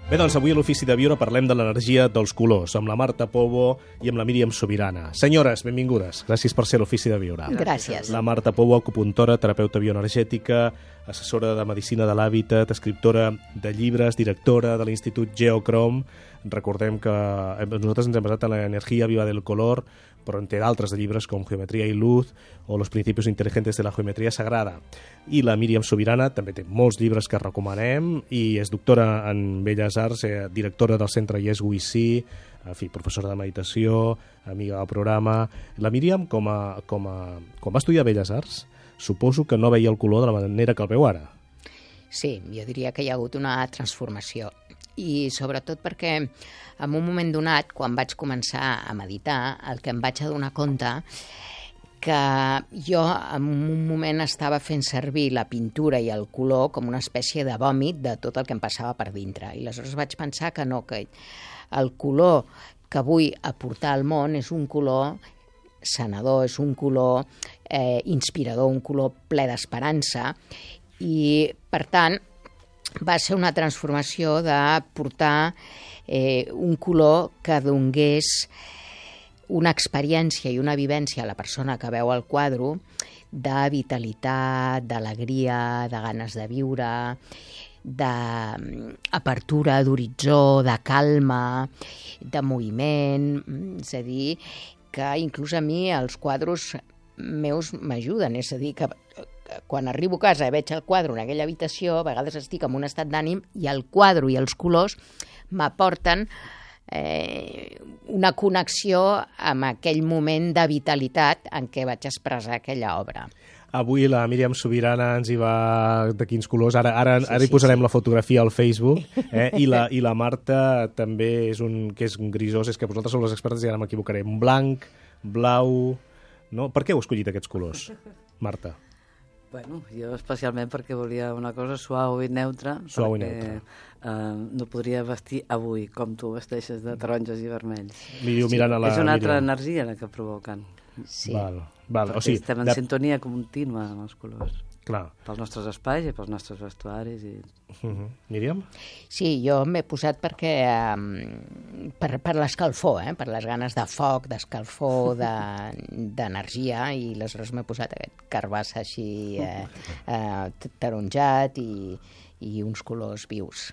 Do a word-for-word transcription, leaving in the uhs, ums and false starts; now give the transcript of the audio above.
Bé, doncs avui a l'Ofici de Viure parlem de l'energia dels colors, amb la Marta Pobo i amb la Míriam Subirana. Senyores, benvingudes. Gràcies per ser a l'Ofici de Viure. Gràcies. La Marta Pobo, acupuntora, terapeuta bioenergètica, assessora de Medicina de l'Hàbitat, escriptora de llibres, directora de l'Institut Geocrom. Recordem que nosaltres ens hem basat en l'energia viva del color, però en té d'altres de llibres com Geometria i Luz o Los principios inteligentes de la geometria sagrada. I la Míriam Subirana també té molts llibres que recomanem i és doctora en Belles Arts, eh, directora del centre Yes We See, en fi, professora de meditació, amiga del programa. La Míriam, com a, com a, quan va estudiar Belles Arts, suposo que no veia el color de la manera que el veu ara. Sí, jo diria que hi ha hagut una transformació. I sobretot perquè en un moment donat, quan vaig començar a meditar, el que em vaig adonar compte que jo en un moment estava fent servir la pintura i el color com una espècie de vòmit de tot el que em passava per dintre. I aleshores vaig pensar que no, que el color que vull aportar al món és un color sanador, és un color eh, inspirador, un color ple d'esperança i, per tant, va ser una transformació de portar eh, un color que donés una experiència i una vivència a la persona que veu el quadre de vitalitat, d'alegria, de ganes de viure, d'apertura d'horitzó, de calma, de moviment. És a dir, que inclús a mi els quadres meus m'ajuden, és a dir, que quan arribo a casa i veig el quadre en aquella habitació, a vegades estic en un estat d'ànim i el quadre i els colors m'aporten eh, una connexió amb aquell moment de vitalitat en què vaig expressar aquella obra. Avui la Míriam Subirana ens hi va de quins colors. Ara, ara, Sí, ara hi sí, posarem sí. la fotografia al Facebook. Eh? I, la, I la Marta també és un, que és un grisós, és que vosaltres sou les expertes i ara m'equivocaré. Un blanc, blau... No? Per què heu escollit aquests colors, Marta? Bueno, jo especialment perquè volia una cosa suau i neutra, Suau i perquè neutra. eh, no podria vestir avui com tu vesteixes de taronges i vermells. Li diu mirant a la És una altra Míriam. energia la que provoquen, Sí. Val, val. perquè O sigui, estem en de... sintonia contínua amb els colors, Clar. pels nostres espais i pels nostres vestuaris. I... Uh -huh. Míriam? Sí, jo m'he posat perquè eh, per, per l'escalfor, eh, per les ganes de foc, d'escalfor, d'energia, de, i aleshores m'he posat aquest carbassa així eh, eh, taronjat i, i uns colors vius.